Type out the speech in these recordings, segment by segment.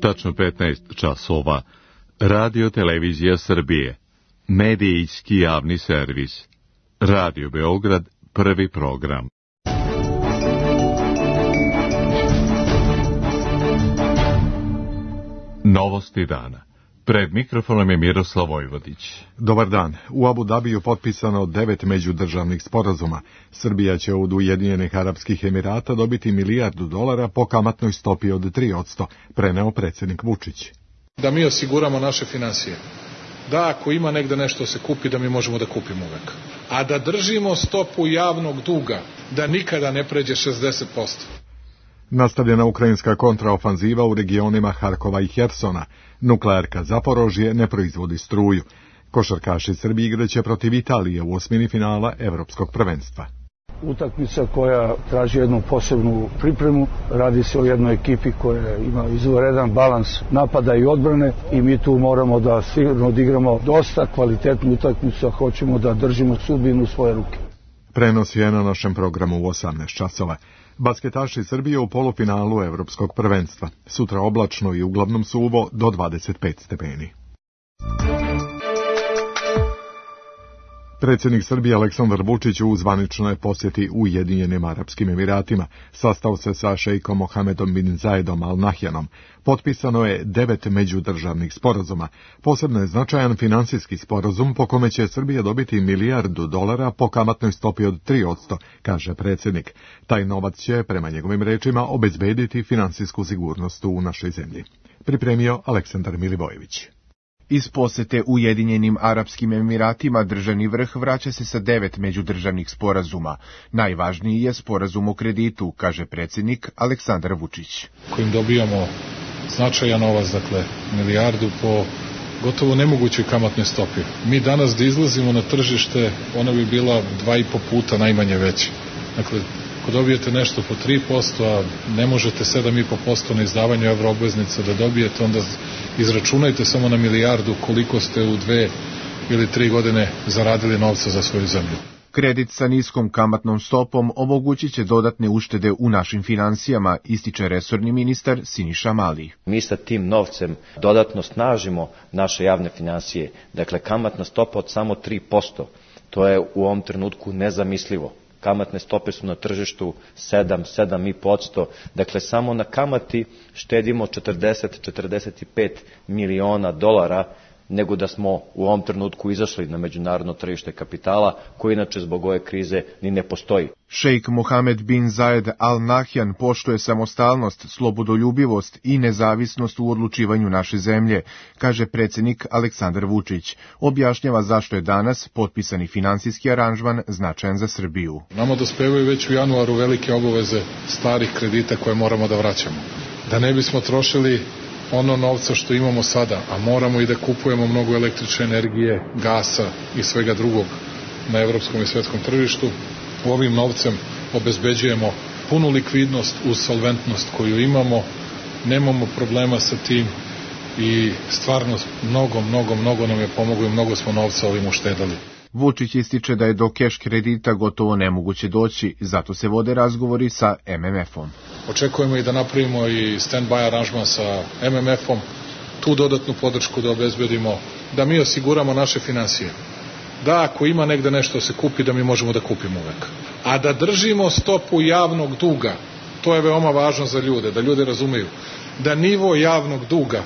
Tačno 15 časova. Radio Televizija Srbije. Medijski javni servis. Radio Beograd, prvi program. Novosti dana. Pred mikrofonom je Miroslav Vojvodić. Dobar dan. U Abu Dabiju potpisano 9 međudržavnih sporazuma. Srbija će od Ujedinjenih Arapskih Emirata dobiti $1 milijardu po kamatnoj stopi od 3%, preneo predsjednik Vučić. Da mi osiguramo naše finansije. Da ako ima negde nešto se kupi, da mi možemo da kupimo uvek. A da držimo stopu javnog duga, da nikada ne pređe 60%. Nastavljena ukrajinska kontraofanziva u regionima Harkova i Hersona. Nuklearka Zaporožje ne proizvodi struju. Košarkaši Srbije igraće protiv Italije u osmini finala Evropskog prvenstva. Utakmica koja traži jednu posebnu pripremu. Radi se o jednoj ekipi koja ima izvanredan balans napada i odbrane i mi tu moramo da sigurno odigramo dosta kvalitetnu utakmicu, a hoćemo da držimo sudbinu u svoje ruke. Prenos je na našem programu u 18 časova. Basketaši Srbije u polufinalu Evropskog prvenstva. Sutra oblačno i uglavnom suvo do 25 stepeni. Predsjednik Srbije Aleksandar Vučić u zvaničnoj posjeti Ujedinjenim Arapskim Emiratima sastao se sa šejkom Mohamedom bin Zayedom Al Nahjanom. Potpisano je 9 međudržavnih sporazuma. Posebno je značajan finansijski sporazum po kome će Srbija dobiti $1 milijardu po kamatnoj stopi od 3%, kaže predsjednik. Taj novac će, prema njegovim rečima, obezbediti finansijsku sigurnost u našoj zemlji. Pripremio Aleksandar Milivojević. Iz posete Ujedinjenim Arapskim Emiratima državni vrh vraća se sa 9 međudržavnih sporazuma. Najvažniji je sporazum o kreditu, kaže predsjednik Aleksandar Vučić. Kojim dobijamo značajan novac, dakle milijardu po gotovo nemogućoj kamatnoj stopi. Mi danas da izlazimo na tržište, ona bi bila 2,5 puta najmanje veća. Dakle, ako dobijete nešto po 3%, a ne možete 7,5% na izdavanju evroobveznica da dobijete, onda izračunajte samo na milijardu koliko ste u 2 ili 3 godine zaradili novca za svoju zemlju. Kredit sa niskom kamatnom stopom omogućit će dodatne uštede u našim finansijama, ističe resorni ministar Siniša Mali. Mi sa tim novcem dodatno snažimo naše javne finansije. Dakle, kamatna stopa od samo 3%. To je u ovom trenutku nezamislivo. Kamatne stope su na tržištu 7,5%. Dakle, samo na kamati štedimo 40-45 miliona dolara, nego da smo u ovom trenutku izašli na međunarodno tržište kapitala, koji inače zbog ove krize ni ne postoji. Šejk Mohamed bin Zayed Al Nahjan poštuje samostalnost, slobodoljubivost i nezavisnost u odlučivanju naše zemlje, kaže predsjednik Aleksandar Vučić. Objašnjava zašto je danas potpisani finansijski aranžman značajan za Srbiju. Nama dospevaju već u januaru velike obaveze starih kredita koje moramo da vraćamo. Da ne bismo trošili ono novca što imamo sada, a moramo i da kupujemo mnogo električne energije, gasa i svega drugog na evropskom i svetskom tržištu, ovim novcem obezbeđujemo punu likvidnost uz solventnost koju imamo, nemamo problema sa tim i stvarno mnogo nam je pomoglo i mnogo smo novca ovim uštedali. Vučić ističe da je do keš kredita gotovo nemoguće doći, zato se vode razgovori sa MMF-om. Očekujemo i da napravimo i stand-by aranžman sa MMF-om, tu dodatnu podršku da obezbedimo, da mi osiguramo naše finansije. Da ako ima negde nešto se kupi, da mi možemo da kupimo uvek. A da držimo stopu javnog duga, to je veoma važno za ljude, da ljudi razumeju, da nivo javnog duga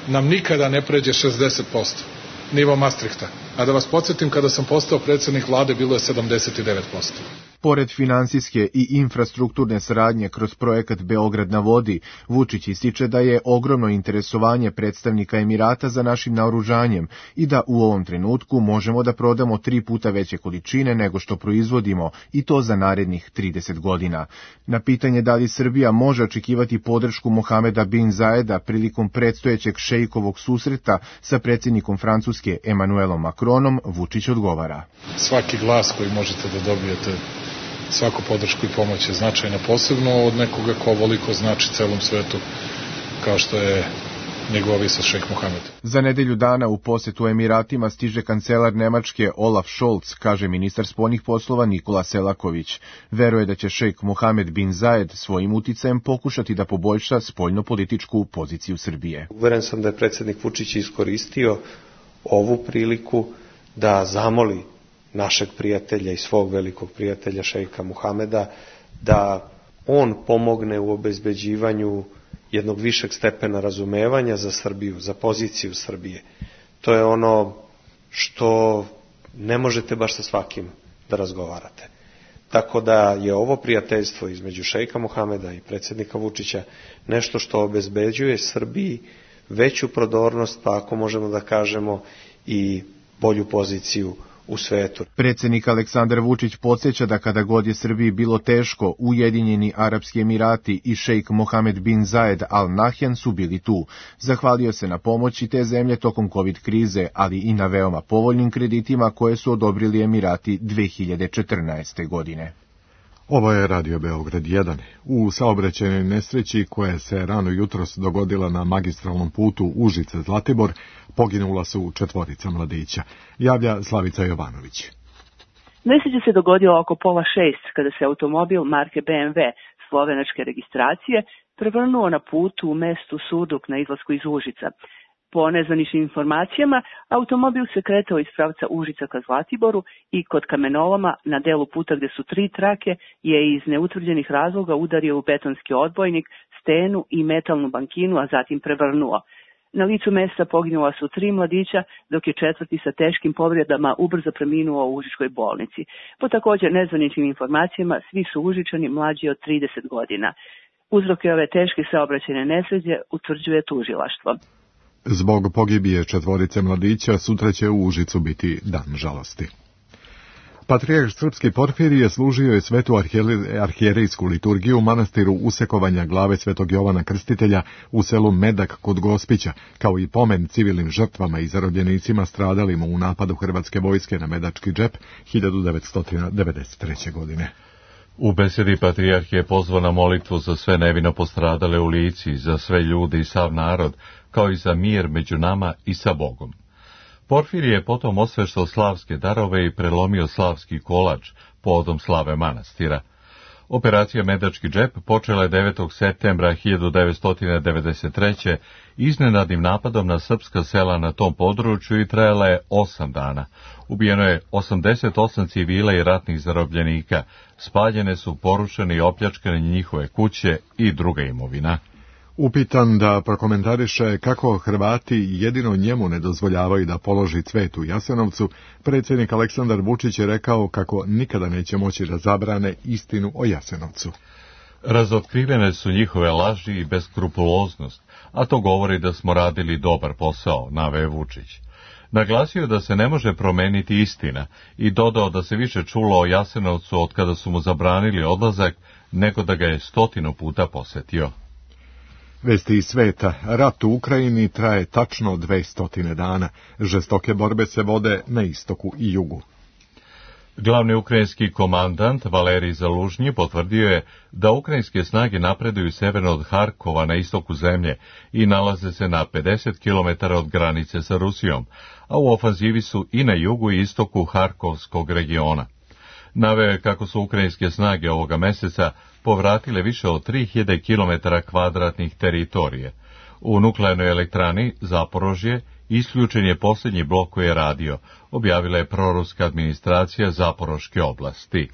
nam nikada ne pređe 60%. Nivo Maastrichta. A da vas podsjetim, kada sam postao predsjednik vlade, bilo je 79%. Pored finansijske i infrastrukturne saradnje kroz projekat Beograd na vodi, Vučić ističe da je ogromno interesovanje predstavnika Emirata za našim naoružanjem i da u ovom trenutku možemo da prodamo 3 puta veće količine nego što proizvodimo, i to za narednih 30 godina. Na pitanje da li Srbija može očekivati podršku Mohameda bin Zayeda prilikom predstojećeg šejkovog susreta sa predsjednikom Francuske Emmanuelom Macronom, Vučić odgovara. Svaki glas koji možete da dobijete, svaku podršku i pomoć je značajna, posebno od nekoga ko ovoliko znači celom svetu, kao što je njegova visost šejk Mohamed. Za nedelju dana u posetu Emiratima stiže kancelar Nemačke Olaf Scholz, kaže ministar spoljnih poslova Nikola Selaković. Veruje da će šejk Mohamed bin Zayed svojim uticajem pokušati da poboljša spoljnopolitičku poziciju Srbije. Uveren sam da je predsjednik Vučić iskoristio ovu priliku da zamoli našeg prijatelja i svog velikog prijatelja šejka Mohameda da on pomogne u obezbeđivanju jednog višeg stepena razumevanja za Srbiju, za poziciju Srbije. To je ono što ne možete baš sa svakim da razgovarate. Tako da je ovo prijateljstvo između šejka Mohameda i predsjednika Vučića nešto što obezbeđuje Srbiji veću prodornost, pa ako možemo da kažemo i bolju poziciju u svetu. Predsjednik Aleksandar Vučić podsjeća da kada god je Srbiji bilo teško, Ujedinjeni Arapski Emirati i šejk Mohamed bin Zayed Al Nahyan su bili tu. Zahvalio se na pomoći te zemlje tokom COVID krize, ali i na veoma povoljnim kreditima koje su odobrili Emirati 2014. godine. Ovo je Radio Beograd 1. U saobraćajnoj nesreći koja se rano jutros dogodila na magistralnom putu Užice-Zlatibor poginula su 4 mladića. Javlja Slavica Jovanović. Nesreća se dogodila oko 5:30 kada se automobil marke BMW slovenačke registracije prevrnuo na putu u mestu Surduk na izlasku iz Užica. Po nezvaničnim informacijama, automobil se kretao iz pravca Užica ka Zlatiboru i kod kamenoloma na delu puta gde su 3 trake je iz neutvrđenih razloga udario u betonski odbojnik, stenu i metalnu bankinu, a zatim prevrnuo. Na licu mesta poginula su 3 mladića, dok je 4. sa teškim povredama ubrzo preminuo u Užičkoj bolnici. Po također nezvaničnim informacijama, svi su Užičani mlađi od 30 godina. Uzroke ove teške saobraćajne nesreće utvrđuje tužilaštvo. Zbog pogibije 4 mladića sutra će u Užicu biti dan žalosti. Patrijarh srpski Porfirije služio je svetu arhijerejsku liturgiju u manastiru usekovanja glave svetog Jovana Krstitelja u selu Medak kod Gospića, kao i pomen civilnim žrtvama i zarobljenicima stradalima u napadu hrvatske vojske na Medački džep 1993. godine. U besedi patrijarh je pozvao na molitvu za sve nevino postradale u Lici, za sve ljude i sav narod, kao i za mir među nama i sa Bogom. Porfirije je potom osveštao slavske darove i prelomio slavski kolač povodom slave manastira. Operacija Medački džep počela je 9. septembra 1993. iznenadnim napadom na srpska sela na tom području i trajala je 8 dana. Ubijeno je 88 civila i ratnih zarobljenika, spaljene su, porušene i opljačkane njihove kuće i druga imovina. Upitan da prokomentariše kako Hrvati jedino njemu ne dozvoljavaju da položi cvet u Jasenovcu, predsjednik Aleksandar Vučić je rekao kako nikada neće moći da zabrane istinu o Jasenovcu. Razotkrivene su njihove laži i beskrupuloznost, a to govori da smo radili dobar posao, naveo Vučić. Naglasio da se ne može promeniti istina i dodao da se više čulo o Jasenovcu od kada su mu zabranili odlazak, nego da ga je 100 puta posetio. Vesti iz sveta. Rat u Ukrajini traje tačno 200 dana. Žestoke borbe se vode na istoku i jugu. Glavni ukrajinski komandant Valerij Zalužnji potvrdio je da ukrajinske snage napreduju severno od Harkova na istoku zemlje i nalaze se na 50 km od granice sa Rusijom, a u ofanzivi su i na jugu i istoku Harkovskog regiona. Naveo je kako su ukrajinske snage ovoga meseca povratile više od 3000 km kvadratnih teritorije. U nuklearnoj elektrani Zaporožje isključen je posljednji blok koji je radio, objavila je proruska administracija Zaporoške oblasti.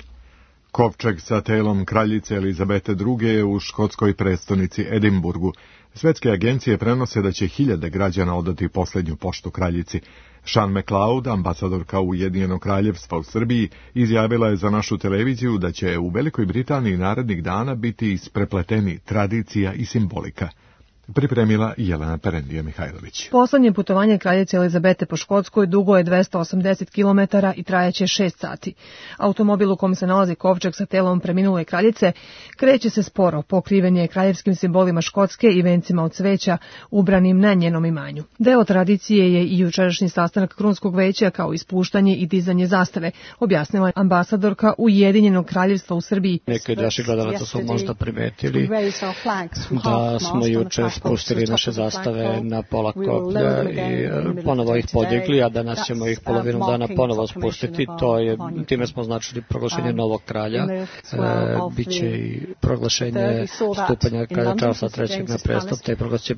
Kovčeg sa telom kraljice Elizabete II je u škotskoj prestonici Edinburgu. Svetske agencije prenose da će 1000 građana odati posljednju poštu kraljici. Sean McLeod, ambasadorka Ujedinjenog kraljevstva u Srbiji, izjavila je za našu televiziju da će u Velikoj Britaniji narednih dana biti isprepleteni tradicija i simbolika. Pripremila Jelena Perendija Mihajlović. Poslednje putovanje kraljice Elizabete po Škotskoj dugo je 280 km i trajaće 6 sati. Automobil u kom se nalazi kovčeg sa telom preminule kraljice kreće se sporo, pokriven je kraljevskim simbolima Škotske i vencima od cveća ubranim na njenom imanju. Deo tradicije je i jučerašnji sastanak Krunskog veća kao ispuštanje i dizanje zastave, objasnila ambasadorka Ujedinjenog kraljevstva u Srbiji. Neki od naših gledalaca su možda primetili da smo juče spustili naše zastave na pola koplja i ponovo ih podigli, a danas ćemo ih polovinom dana ponovo spustiti. Time smo označili proglašenje novog kralja. Biće i proglašenje stupanja kralja Charlesa III. Na prestup. Taj proglas će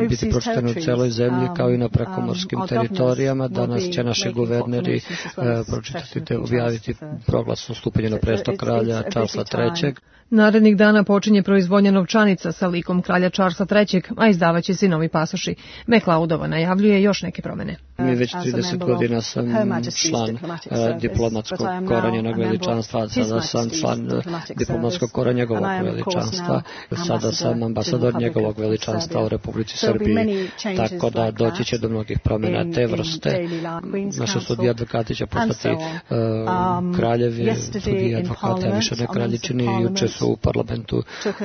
biti pročitan u celoj zemlji kao i na prekomorskim teritorijama. Danas će naši guverneri objaviti proglas o stupanju na prestup kralja Charlesa III. Narednih dana počinje proizvodnja novčanica sa likom kralja Charlesa III, a izdavaće se novi pasoši. McLeodova najavljuje još neke promene. Mi već 30 godina sam član diplomatskog kora njenog veličanstva, sada sam član diplomatskog kora njegovog veličanstva, sada sam ambasador njegovog veličanstva u Republici Srbiji, tako da doći će do mnogih promjena te vrste. Naše sudije advokati će postati kraljevi, sudije advokati, a više ne kraljičini. Juče su u parlamentu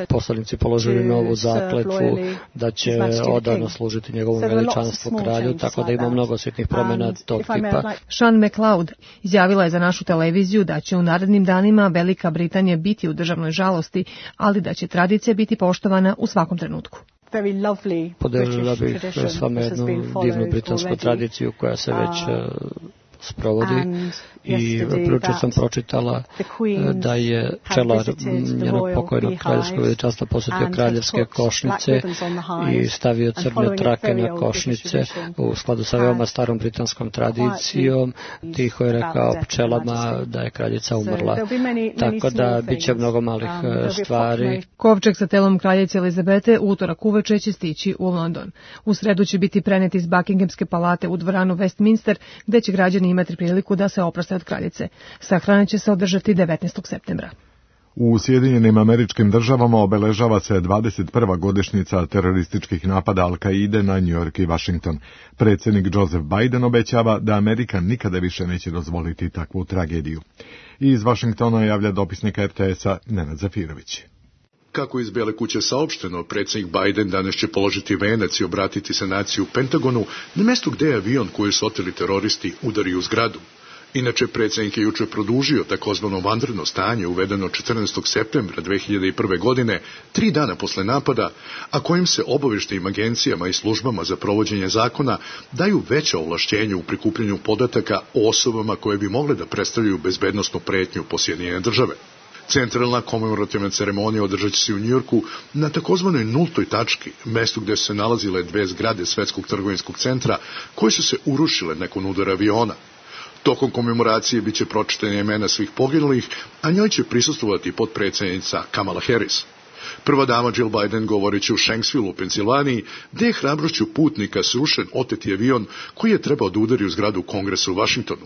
poslanici položili novu zakletvu da će odano služiti njegovom veličanstvu kralju, tako da ima mnogo sitnih promjena tog tipa. Sean McLeod izjavila je za našu televiziju da će u narednim danima Velika Britanija biti u državnoj žalosti, ali da će tradicija biti poštovana u svakom trenutku. Podelila bih s vama jednu divnu britansku tradiciju koja se već sprovodi i prilično sam pročitala da je pčelar njenog pokojnog kraljevskog veličanstva posjetio kraljevske košnice i stavio crne trake na košnice u skladu sa veoma starom britanskom tradicijom. Tiho je rekao pčelama da je kraljica umrla. Tako da bit će mnogo malih stvari. Kovčeg sa telom kraljice Elizabete utorak uveče će stići u London. U sredu će biti prenet iz Buckinghamske palate u dvoranu Westminster, gde će građani imati priliku da se oproste od kraljice. Sahrana će se održati 19. septembra. U Sjedinjenim Američkim Državama obeležava se 21. godišnjica terorističkih napada Al-Kaide na New York i Washington. Predsjednik Joseph Biden obećava da Amerika nikada više neće dozvoliti takvu tragediju. I iz Washingtona javlja dopisnik RTS-a Nenad Zafirović. Kako iz Bele kuće saopšteno, predsjednik Biden danas će položiti venac i obratiti se naciji u Pentagonu na mjestu gdje je avion koji su oteli teroristi udario u zgradu. Inače, predsjednik je jučer produžio takozvano vanredno stanje uvedeno 14. septembra 2001. godine, 3 dana posle napada, a kojim se obavještajnim agencijama i službama za provođenje zakona daju veća ovlašćenja u prikupljanju podataka o osobama koje bi mogle da predstavljaju bezbednosnu pretnju po Sjedinjene Države. Centralna komemorativna ceremonija održat će se u Njujorku na takozvanoj nultoj tački, mjestu gdje su se nalazile 2 zgrade Svetskog trgovinskog centra koje su se urušile nakon udara aviona. Tokom komemoracije bit će pročitane imena svih poginulih, a njoj će prisustvovati potpredsjednica Kamala Harris. Prva dama Jill Biden govorit će u Shanksville u Pensilvaniji, gdje je hrabrošću putnika srušen oteti avion koji je trebao da udari u zgradu Kongresa u Washingtonu.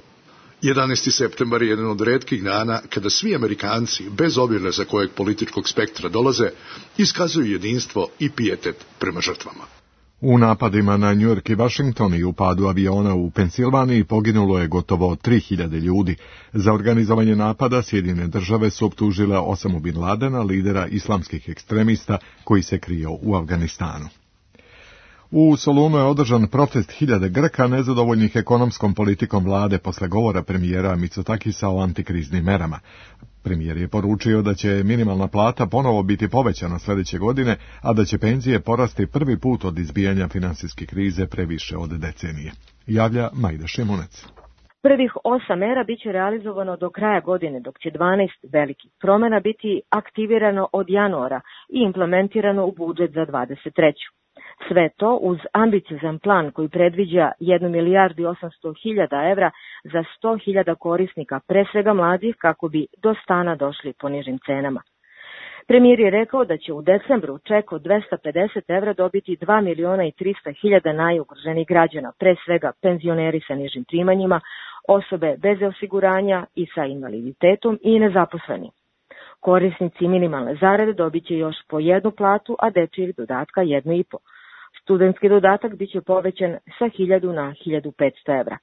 11. septembar je jedan od retkih dana kada svi Amerikanci, bez obzira za kojeg političkog spektra dolaze, iskazuju jedinstvo i pijetet prema žrtvama. U napadima na New York i Washington i u padu aviona u Pensilvaniji poginulo je gotovo 3000 ljudi. Za organizovanje napada Sjedinjene Države su optužile Osamu Bin Ladena, lidera islamskih ekstremista koji se krio u Afganistanu. U Solunu je održan protest hiljade Grka nezadovoljnih ekonomskom politikom vlade posle govora premijera Mitsotakisa o antikriznim merama. Premijer je poručio da će minimalna plata ponovo biti povećana sljedeće godine, a da će penzije porasti prvi put od izbijanja finansijske krize pre više od decenije. Javlja Majda Šimunec. Prvih 8 mera biće realizovano do kraja godine, dok će 12 velikih promjena biti aktivirano od januara i implementirano u budžet za 23. Sve to uz ambiciozan plan koji predviđa 1 milijardu i 800.000 evra za 100.000 korisnika, pre svega mladih, kako bi do stana došli po nižim cenama. Premijer je rekao da će u decembru ček od 250 evra dobiti 2.300.000 najugroženijih građana, pre svega penzioneri sa nižim primanjima, osobe bez osiguranja i sa invaliditetom i nezaposleni. Korisnici minimalne zarade dobit će još po 1 platu, a dečijeg dodatka 1,5. Studentski dodatak biće povećan sa 1.000 na 1.500 evra.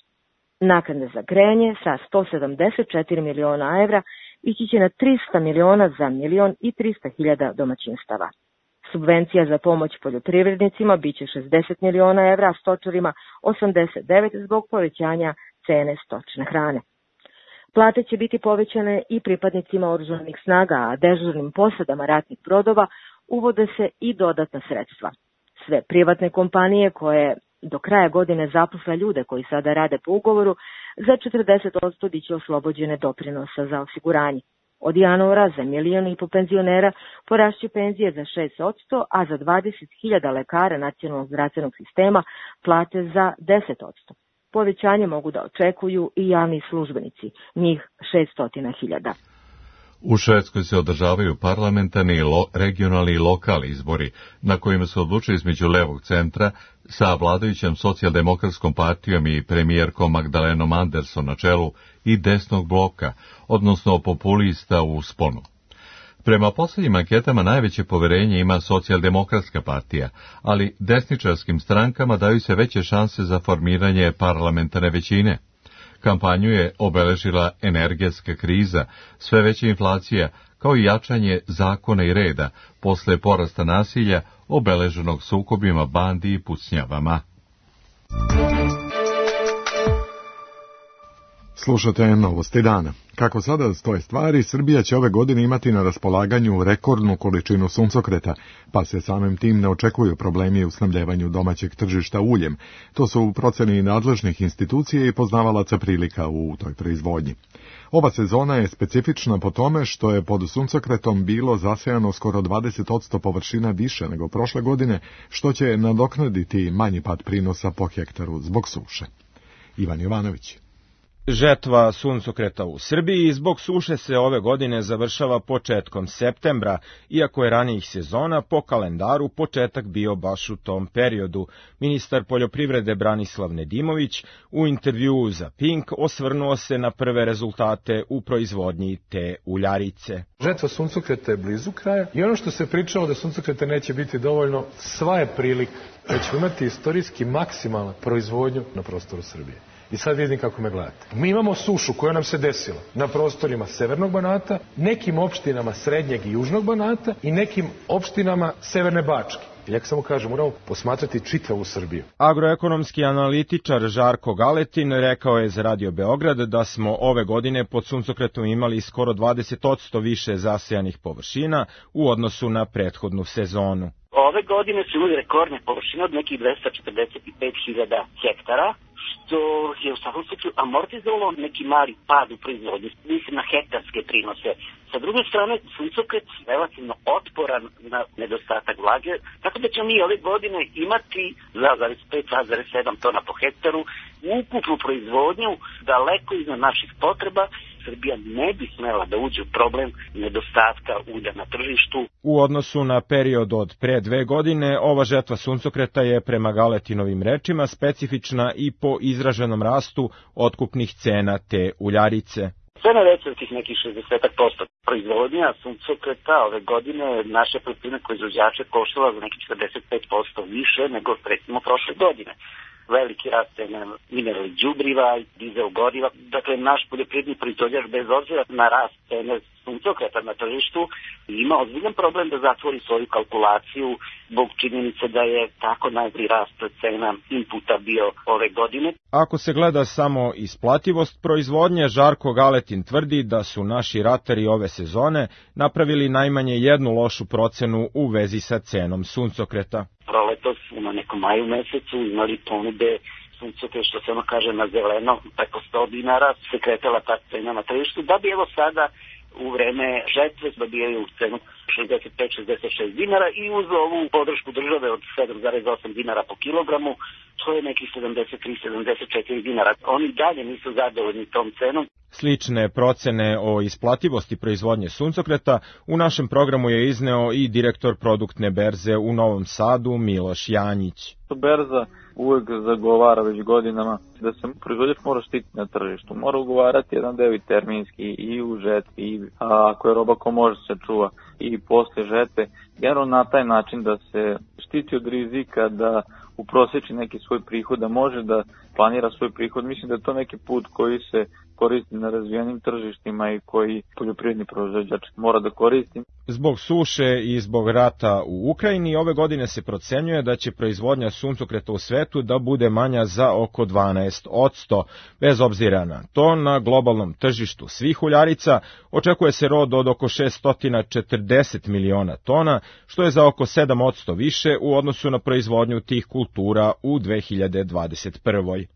Naknade za grejanje sa 174 miliona evra ići će na 300 miliona za 1.300.000 domaćinstava. Subvencija za pomoć poljoprivrednicima biće 60 miliona evra, a stočarima 89 zbog povećanja cene stočne hrane. Plate će biti povećane i pripadnicima oružanih snaga, a dežurnim posadama ratnih brodova uvode se i dodatna sredstva. Sve privatne kompanije koje do kraja godine zaposle ljude koji sada rade po ugovoru, za 40% biće oslobođene doprinosa za osiguranje. Od januara za 1,5 miliona penzionera porašće penzije za 6%, a za 20.000 lekara nacionalnog zdravstvenog sistema plate za 10%. Povećanje mogu da očekuju i javni službenici, njih 600.000. U Švedskoj se održavaju parlamentarni, regionalni i lokalni izbori, na kojima se odlučuje između levog centra sa vladajućom socijaldemokratskom partijom i premijerkom Magdalenom Andersson na čelu i desnog bloka, odnosno populista u usponu. Prema posljednjim anketama najveće poverenje ima socijaldemokratska partija, ali desničarskim strankama daju se veće šanse za formiranje parlamentarne većine. Kampanju je obeležila energetska kriza, sve veća inflacija, kao i jačanje zakona i reda posle porasta nasilja obeleženog sukobima bandi i pucnjavama. Slušate Novosti dana. Kako sada stoje stvari, Srbija će ove godine imati na raspolaganju rekordnu količinu suncokreta, pa se samim tim ne očekuju problemi u snabdevanju domaćeg tržišta uljem. To su u proceni nadležnih institucija i poznavalaca prilika u toj proizvodnji. Ova sezona je specifična po tome što je pod suncokretom bilo zasejano skoro 20% površina više nego prošle godine, što će nadoknaditi manji pad prinosa po hektaru zbog suše. Ivan Jovanović. Žetva suncokreta u Srbiji zbog suše se ove godine završava početkom septembra, iako je ranijih sezona po kalendaru početak bio baš u tom periodu. Ministar poljoprivrede Branislav Nedimović u intervjuu za Pink osvrnuo se na prve rezultate u proizvodnji te uljarice. Žetva suncokreta je blizu kraja i ono što se pričalo da suncokreta neće biti dovoljno, sva je prilika da ćemo imati istorijski maksimalnu proizvodnju na prostoru Srbije. I sad vidim kako me gledate. Mi imamo sušu koja nam se desila na prostorima Severnog Banata, nekim opštinama Srednjeg i Južnog Banata i nekim opštinama Severne Bačke. Ja samo kažem, moramo posmatrati čitavu Srbiju. Agroekonomski analitičar Žarko Galetin rekao je za Radio Beograd da smo ove godine pod suncokretom imali skoro 20% više zasejanih površina u odnosu na prethodnu sezonu. Ove godine su imali rekordne površine od nekih 245.000 hektara, što je u svakom slučaju amortizovalo neki mali pad u proizvodnji, mislim na hektarske prinose. Sa druge strane, suncokret je relativno otporan na nedostatak vlage, tako da ćemo mi ove godine imati 2,5-2,7 tona po hektaru, ukupnu proizvodnju daleko iznad naših potreba. Srbija ne bi smela da uđe u problem nedostatka ulja na tržištu. U odnosu na period od pre 2 godine, ova žetva suncokreta je prema Galetinovim rečima specifična i po izraženom rastu otkupnih cena te uljarice. Cena veća od tih nekih 60% proizvodnja suncokreta ove godine naše poljoprivredne proizvođače koštala za nekih 45% više nego recimo prošle godine. Veliki rast cena mineralnih đubriva, dizel goriva. Dakle, naš poljoprivredni proizvođač bez obzira na rast cene suncokreta na tržištu ima ozbiljan problem da zatvori svoju kalkulaciju zbog činjenice da je tako najbolji rast cena inputa bio ove godine. Ako se gleda samo isplativost proizvodnje, Žarko Galetin tvrdi da su naši ratari ove sezone napravili najmanje jednu lošu procenu u vezi sa cenom suncokreta. Proletos na nekom maju mesecu imali ponude suncokret, što se ono kaže na zeleno, preko 100 dinara se kretala ta cena na tržištu, da bi evo sada u vreme žetve dobijaju cenu 65-66 dinara i uz ovu podršku države od 7,8 dinara po kilogramu, to je nekih 73-74 dinara. Oni dalje nisu zadovoljni tom cenom. Slične procene o isplativosti proizvodnje suncokreta u našem programu je izneo i direktor produktne berze u Novom Sadu Miloš Janjić. Berza uvek zagovara već godinama da se proizvođač mora štititi na tržištu, mora ugovarati jedan deo i terminski i u žetvi, ako je roba ko može se čuva i posle žetve, generalno na taj način da se štiti od rizika, da uproseči neki svoj prihod, da može da planira svoj prihod. Mislim da je to neki put koji se koristi na razvijenim tržištima i koji poljoprivredni proizvođač mora da koristi. Zbog suše i zbog rata u Ukrajini, ove godine se procenjuje da će proizvodnja suncokreta u svetu da bude manja za oko 12%. Bez obzira na to, na globalnom tržištu svih uljarica očekuje se rod od oko 640 miliona tona, što je za oko 7% više u odnosu na proizvodnju tih kultura u 2021.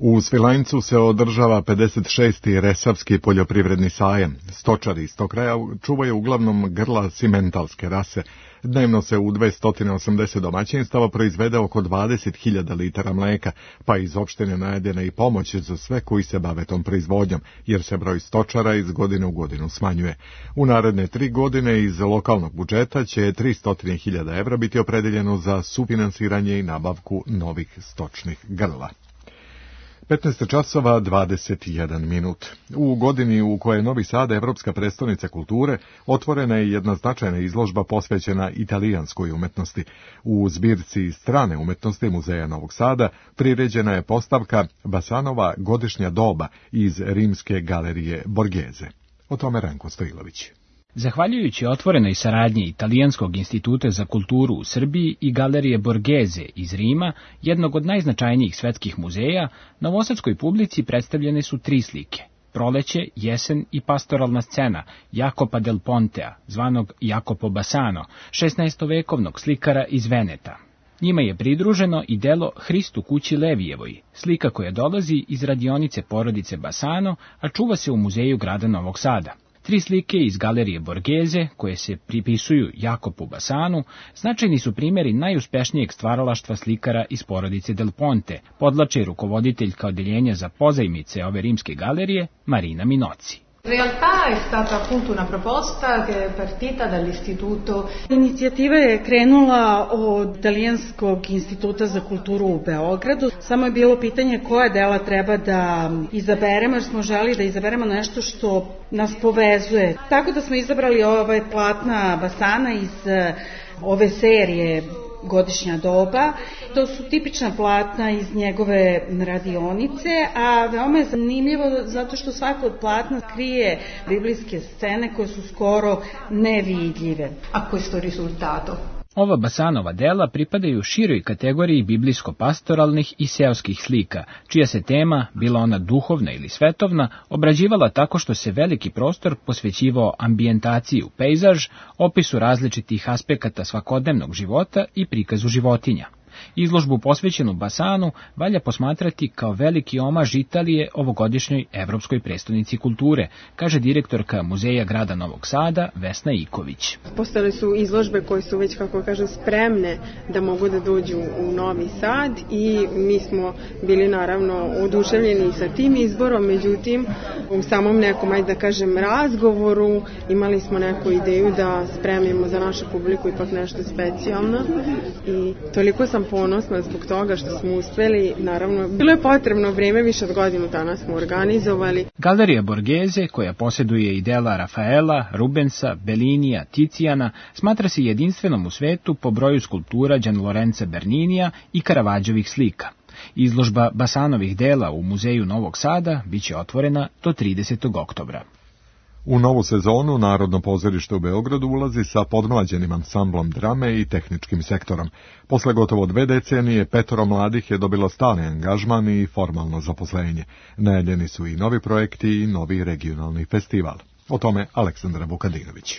U Svilajncu se održava 56. Resavski poljoprivredni sajam. Stočari iz tog kraja čuvaju uglavnom grla simentalske rase. Dnevno se u 280 domaćinstava proizvede oko 20.000 litara mleka, pa iz opštine najavljena i pomoć za sve koji se bave tom proizvodnjom, jer se broj stočara iz godine u godinu smanjuje. U naredne 3 godine iz lokalnog budžeta će 300.000 evra biti opredeljeno za sufinansiranje i nabavku novih stočnih grla. 15 časova 21 minut. U godini u kojoj je Novi Sad Evropska prestonica kulture, otvorena je jedna značajna izložba posvećena italijanskoj umetnosti. U zbirci strane umetnosti Muzeja Novog Sada priređena je postavka Basanova godišnja doba iz rimske galerije Borghese. O tome Ranko Stojilović. Zahvaljujući otvorenoj saradnji Italijanskog instituta za kulturu u Srbiji i galerije Borghese iz Rima, jednog od najznačajnijih svetskih muzeja, novosadskoj publici predstavljene su 3 slike: Proleće, jesen i pastoralna scena Jacopa del Pontea, zvanog Jacopo Bassano, 16-vekovnog slikara iz Veneta. Njima je pridruženo i delo Hristu kući Levijevoj, slika koja dolazi iz radionice porodice Bassano, a čuva se u muzeju grada Novog Sada. 3 slike iz galerije Borghese, koje se pripisuju Jacopu Bassanu, značajni su primjeri najuspešnijeg stvaralaštva slikara iz porodice Del Ponte, podlače rukovoditeljka odeljenja za pozajmice ove rimske galerije, Marina Minoci. In realtà è stata appunto una proposta che è partita dall'istituto. Inicijativa je krenula od Italijanskog instituta za kulturu u Beogradu. Samo je bilo pitanje koje dela treba da izaberemo, jer smo želi da izaberemo nešto što nas povezuje. Tako da smo izabrali ove platna Bassana iz ove serije Godišnja doba. To su tipična platna iz njegove radionice, a veoma je zanimljivo zato što svako od platna krije biblijske scene koje su skoro nevidljive. A questo risultato? Ova Bassanova dela pripadaju široj kategoriji biblijsko-pastoralnih i seoskih slika, čija se tema, bila ona duhovna ili svetovna, obrađivala tako što se veliki prostor posvećivao ambijentaciji u pejzaž, opisu različitih aspekata svakodnevnog života i prikazu životinja. Izložbu posvećenu Bassanu valja posmatrati kao veliki omaž Italije ovogodišnjoj Evropskoj prestonici kulture, kaže direktorka Muzeja grada Novog Sada Vesna Iković. Postale su izložbe koje su već, kako kažem, spremne da mogu da dođu u Novi Sad i mi smo bili naravno oduševljeni sa tim izborom, međutim u samom nekom, ajde da kažem, razgovoru imali smo neku ideju da spremimo za našu publiku ipak nešto specijalno i toliko sam ponosna zbog toga što smo uspeli. Naravno, bilo je potrebno vrijeme, više od godinu dana smo organizovali. Galerija Borghese, koja posjeduje i dela Rafaela, Rubensa, Bellinija, Ticijana, smatra se jedinstvenom u svetu po broju skulptura Gianlorenza Berninija i Caravaggioovih slika. Izložba Bassanovih dela u Muzeju Novog Sada biće otvorena do 30. oktobra. U novu sezonu Narodno pozorište u Beogradu ulazi sa podmlađenim ansamblom drame i tehničkim sektorom. Posle gotovo 2 decenije 5 mladih je dobilo stalni angažman i formalno zaposlenje. Najavljeni su i novi projekti i novi regionalni festival. O tome Aleksandra Vukadinović.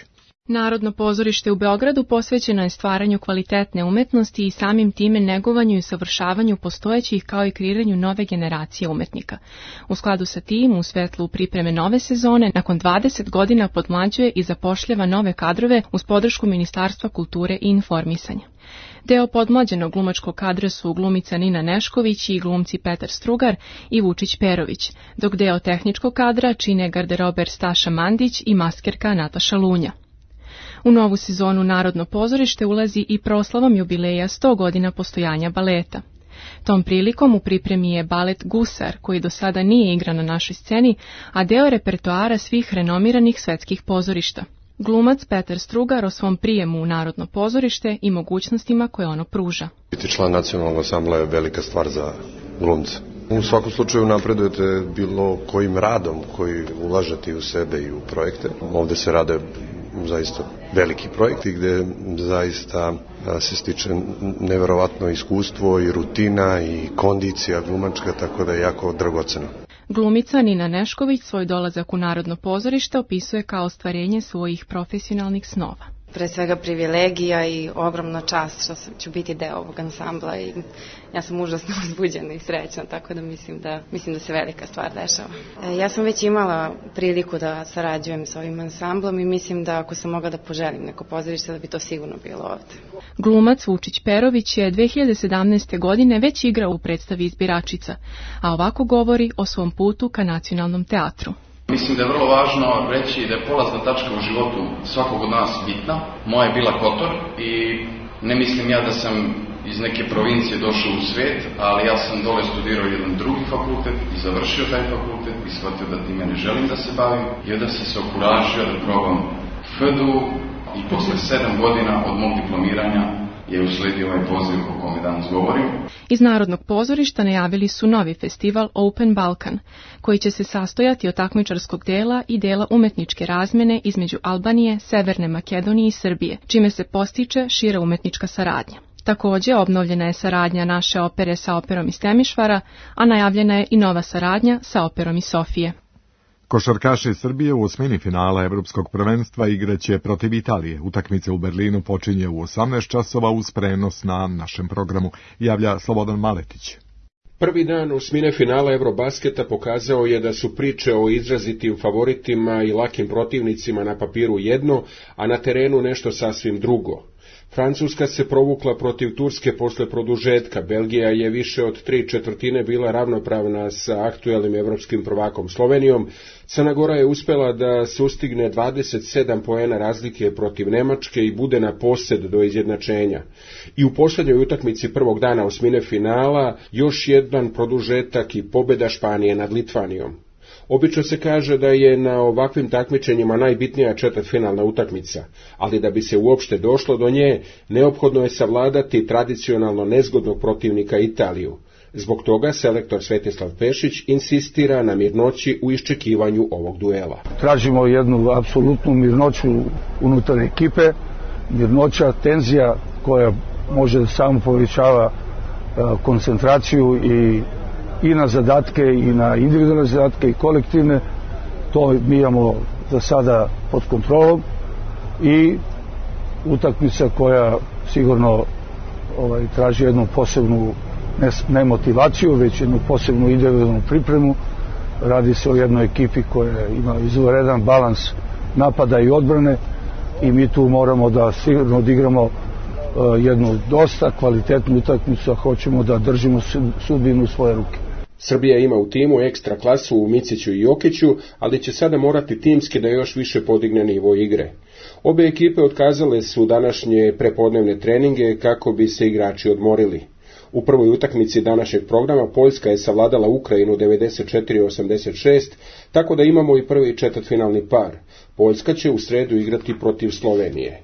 Narodno pozorište u Beogradu posvećeno je stvaranju kvalitetne umetnosti i samim time negovanju i usavršavanju postojećih kao i kreiranju nove generacije umetnika. U skladu sa tim, u svetlu pripreme nove sezone, nakon 20 godina podmlađuje i zapošljava nove kadrove uz podršku Ministarstva kulture i informisanja. Deo podmlađenog glumačkog kadra su glumica Nina Nešković i glumci Petar Strugar i Vučić Perović, dok deo tehničkog kadra čine garderober Staša Mandić i maskerka Nataša Lunja. U novu sezonu Narodno pozorište ulazi i proslavom jubileja 100 godina postojanja baleta. Tom prilikom u pripremi je balet Gusar, koji do sada nije igran na našoj sceni, a deo repertoara svih renomiranih svetskih pozorišta. Glumac Petar Strugar o svom prijemu u Narodno pozorište i mogućnostima koje ono pruža. Biti član nacionalnog ansambla je velika stvar za glumca. U svakom slučaju napredujete bilo kojim radom koji ulažete u sebe i u projekte. Ovde se rade zaista veliki projekti gde zaista se stiče neverovatno iskustvo i rutina i kondicija glumačka, tako da je jako dragoceno. Glumica Nina Nešković svoj dolazak u Narodno pozorište opisuje kao ostvarenje svojih profesionalnih snova. Pre svega privilegija i ogromna čast što ću biti deo ovog ansambla i ja sam užasno uzbuđena i srećna, tako da mislim da se velika stvar dešava. Ja sam već imala priliku da sarađujem sa ovim ansamblom i mislim da ako sam mogla da poželim neko pozorište da bi to sigurno bilo ovde. Glumac Vučić Perović je 2017. godine već igrao u predstavi Izbiračica, a ovako govori o svom putu ka Nacionalnom teatru. Mislim da je vrlo važno reći da je polazna tačka u životu svakog od nas bitna. Moja je bila Kotor i ne mislim ja da sam iz neke provincije došao u svet, ali ja sam dole studirao jedan drugi fakultet i završio taj fakultet i shvatio da time ne želim da se bavim i onda sam se okuražio da probam FDU i posle 7 godina od mog diplomiranja je usledio ovaj poziv o kome danas govorim. Iz Narodnog pozorišta najavili su novi festival Open Balkan, koji će se sastojati od takmičarskog dela i dela umetničke razmene između Albanije, Severne Makedonije i Srbije, čime se postiče šira umetnička saradnja. Takođe, obnovljena je saradnja naše opere sa operom iz Temišvara, a najavljena je i nova saradnja sa operom iz Sofije. Košarkaši Srbije u osmini finala Evropskog prvenstva igraće protiv Italije. Utakmica u Berlinu počinje u 18 časova uz prenos na našem programu, javlja Slobodan Maletić. Prvi dan osmine finala Eurobasketa pokazao je da su priče o izrazitim favoritima i lakim protivnicima na papiru jedno, a na terenu nešto sasvim drugo. Francuska se provukla protiv Turske posle produžetka, Belgija je više od 3/4 bila ravnopravna sa aktuelnim evropskim prvakom Slovenijom, Crna Gora je uspela da sustigne 27 poena razlike protiv Nemačke i bude na posed do izjednačenja. I u posljednjoj utakmici prvog dana osmine finala još jedan produžetak i pobjeda Španije nad Litvanijom. Obično se kaže da je na ovakvim takmičenjima najbitnija četvrtfinalna utakmica, ali da bi se uopšte došlo do nje, neophodno je savladati tradicionalno nezgodnog protivnika Italiju. Zbog toga selektor Svetislav Pešić insistira na mirnoći u iščekivanju ovog duela. Tražimo jednu apsolutnu mirnoću unutar ekipe, mirnoća, tenzija koja može da samo povećava koncentraciju i na zadatke, i na individualne zadatke, i kolektivne. To mi imamo za sada pod kontrolom i utakmica koja sigurno traži jednu posebnu ne motivaciju, već jednu posebnu individualnu pripremu. Radi se o jednoj ekipi koja ima izvanredan balans napada i odbrane i mi tu moramo da sigurno odigramo jednu dosta kvalitetnu utakmicu, a hoćemo da držimo sudbinu u svoje ruke. Srbija ima u timu ekstra klasu u Miciću i Jokiću, ali će sada morati timski da još više podigne nivo igre. Obe ekipe otkazale su današnje prepodnevne treninge kako bi se igrači odmorili. U prvoj utakmici današnjeg programa Poljska je savladala Ukrajinu 94-86, tako da imamo i prvi četvrtfinalni par. Poljska će u sredu igrati protiv Slovenije.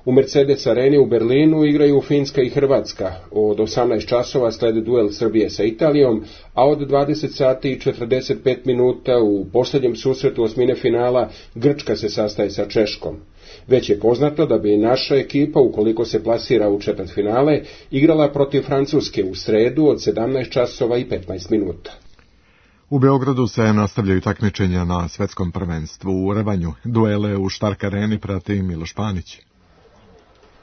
U Mercedes areni u Berlinu igraju Finska i Hrvatska. Od 18 časova slede duel Srbije sa Italijom, a od 20 sati i 45 minuta u posljednjem susretu osmine finala Grčka se sastaje sa Češkom. Već je poznato da bi naša ekipa, ukoliko se plasira u četvrtfinale, igrala protiv Francuske u sredu od 17 časova i 15 minuta. U Beogradu se nastavljaju takmičenja na svetskom prvenstvu u rvanju. Duele u Štark areni prati Miloš Panić.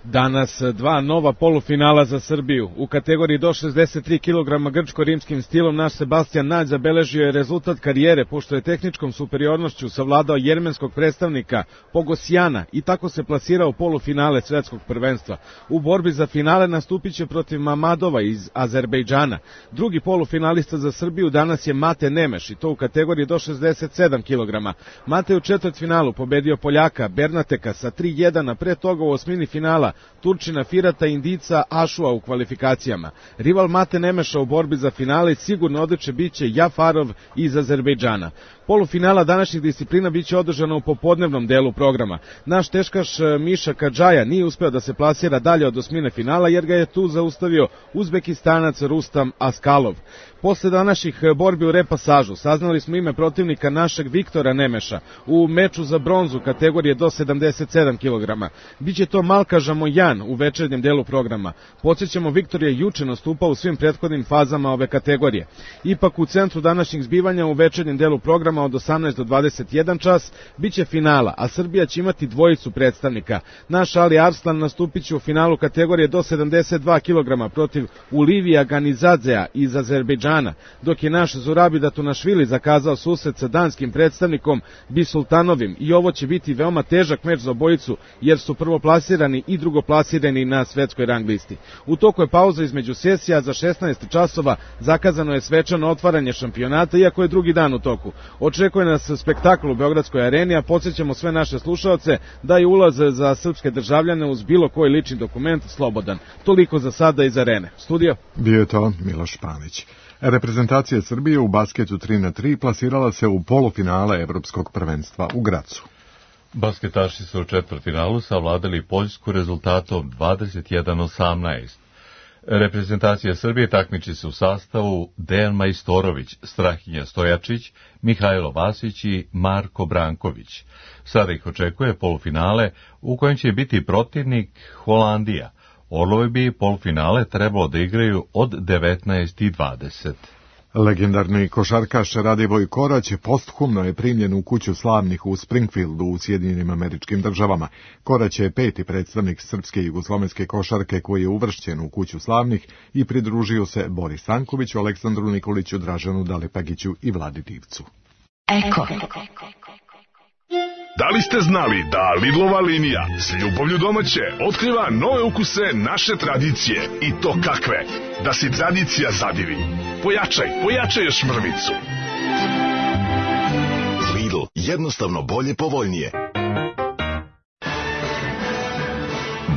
Danas dva nova polufinala za Srbiju. U kategoriji do 63 kg grčko-rimskim stilom naš Sebastian Nađ zabeležio je rezultat karijere pošto je tehničkom superiornošću savladao jermenskog predstavnika Pogosjana i tako se plasirao u polufinale svetskog prvenstva. U borbi za finale nastupit će protiv Mamadova iz Azerbejdžana. Drugi polufinalista za Srbiju danas je Mate Nemeš i to u kategoriji do 67 kg. Mate u četvrtfinalu pobedio Poljaka Bernateka sa 3-1, a pre toga u osmini finala Turčina Firata i Indica Ašua u kvalifikacijama. Rival Mate Nemeša u borbi za finale sigurno odličje biće Jafarov iz Azerbejdžana. Polufinala današnjih disciplina biće održana u popodnevnom delu programa. Naš teškaš Miša Kadžaja nije uspeo da se plasira dalje od osmine finala jer ga je tu zaustavio Uzbekistanac Rustam Askalov. Posle današnjih borbi u repasažu saznali smo ime protivnika našeg Viktora Nemeša u meču za bronzu kategorije do 77 kg. Biće to Malka Žamojan u večernjem delu programa. Podsjećamo, Viktor je juče nastupao u svim prethodnim fazama ove kategorije. Ipak u centru današnjih zbivanja u večernjem delu programa od 18 do 21 čas biće finala, a Srbija će imati dvojicu predstavnika. Naš Ali Arslan nastupit će u finalu kategorije do 72 kg protiv Ulivija Ganizadzea iz Azerbejdžana, dok je naš Zurabi Datunašvili zakazao susret sa danskim predstavnikom Bisultanovim i ovo će biti veoma težak meč za obojicu jer su prvoplasirani i drugoplasirani na svetskoj rang listi. U toku je pauza između sesija, za 16 časova zakazano je svečano otvaranje šampionata, iako je drugi dan u toku. Očekuje nas spektakl u Beogradskoj areni, a podsjećamo sve naše slušaoce da je ulaz za srpske državljane uz bilo koji lični dokument slobodan. Toliko za sada iz arene. Studio? Bio je to Miloš Panić. Reprezentacija Srbije u basketu 3x3 plasirala se u polufinale Evropskog prvenstva u Gracu. Basketaši su u četvrtfinalu savladali Poljsku rezultatom 21-18. Reprezentacija Srbije takmiči se u sastavu Dejan Majstorović, Strahinja Stojačić, Mihajlo Vasić i Marko Branković. Sada ih očekuje polufinale u kojem će biti protivnik Holandija. Orlovi bi polufinale trebalo da igraju od 19:20. Legendarni košarkaš Radivoj Korać posthumno je primljen u kuću slavnih u Springfieldu u Sjedinjenim Američkim Državama. Korać je 5. predstavnik srpske jugoslovenske košarke koji je uvršćen u kuću slavnih i pridružio se Boris Stankoviću, Aleksandru Nikoliću, Dražanu Dalipagiću i Vladi Divcu. Eko. Da li ste znali da Lidlova linija s ljubavlju domaće otkriva nove ukuse naše tradicije i to kakve? Da si tradicija zadivi. Pojačaj još mrvicu. Lidl, jednostavno bolje, povoljnije.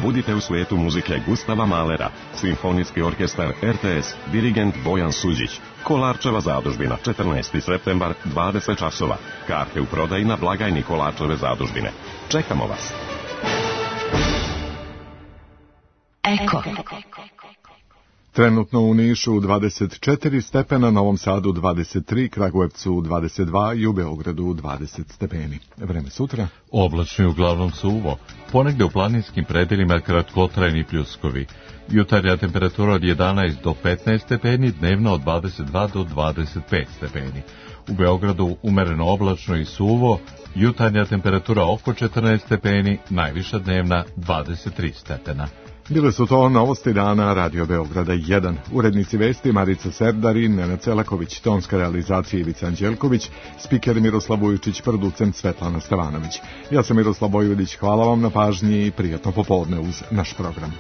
Budite u svijetu muzike Gustava Mahlera, Simfonijski orkestar RTS, dirigent Bojan Suđić. Kolarčeva zadužbina, 14. septembar, 20 časova. Karte u prodaji na blagajni Kolarčeve zadužbine. Čekamo vas. Eko. Trenutno u Nišu 24 stepena, Novom Sadu 23, Kragujevcu 22 i u Beogradu 20 stepeni. Vreme sutra? Oblačno i uglavnom suvo. Ponegde u planinskim predelima kratkotrajni pljuskovi. Jutarnja temperatura od 11 do 15 stepeni, dnevno od 22 do 25 stepeni. U Beogradu umereno oblačno i suvo, jutarnja temperatura oko 14 stepeni, najviša dnevna 23 stepena. Bile su to novosti dana Radio Beograda 1. Urednici vesti Marica Serdarin, Nenad Celaković, tonska realizacija Ivica Anđelković, spiker Miroslav Vujičić, producent Svetlana Stevanović. Ja sam Miroslav Bojvodić, hvala vam na pažnji i prijatno popodne uz naš program.